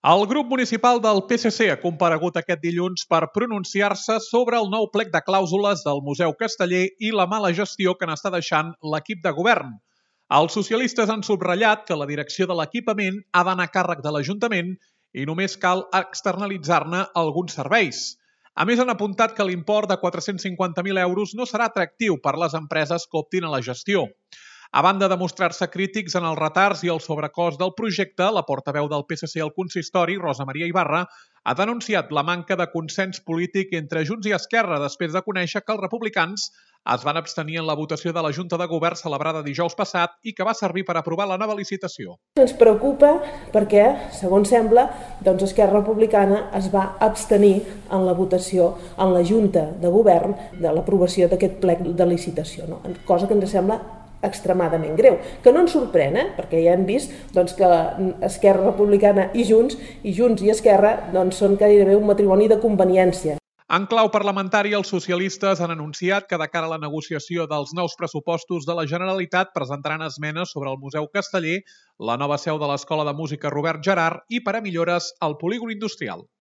El grup municipal del PSC ha comparegut aquest dilluns per pronunciar-se sobre el nou plec de clàusules del Museu Casteller i la mala gestió que n'està deixant l'equip de govern. Els socialistes han subratllat que la direcció de l'equipament ha d'anar a càrrec de l'Ajuntament i només cal externalitzar-ne alguns serveis. A més, han apuntat que l'import de 450.000 euros no serà atractiu per les empreses que optin a la gestió. A banda de mostrar-se crítics en els retards i el sobrecost del projecte, la portaveu del PSC al consistori, Rosa Maria Ibarra, ha denunciat la manca de consens polític entre Junts i Esquerra després de conèixer que els republicans es van abstenir en la votació de la Junta de Govern celebrada dijous passat i que va servir per aprovar la nova licitació. Ens preocupa perquè, segons sembla, Esquerra Republicana es va abstenir en la votació en la Junta de Govern de l'aprovació d'aquest plec de licitació, cosa que ens sembla extremadament greu, que no ens sorprèn, perquè ja hem vist que Esquerra Republicana i Junts i Esquerra són gairebé un matrimoni de conveniència. En clau parlamentari, els socialistes han anunciat que de cara a la negociació dels nous pressupostos de la Generalitat presentaran esmenes sobre el Museu Casteller, la nova seu de l'Escola de Música Robert Gerhard i per a millores al polígon industrial.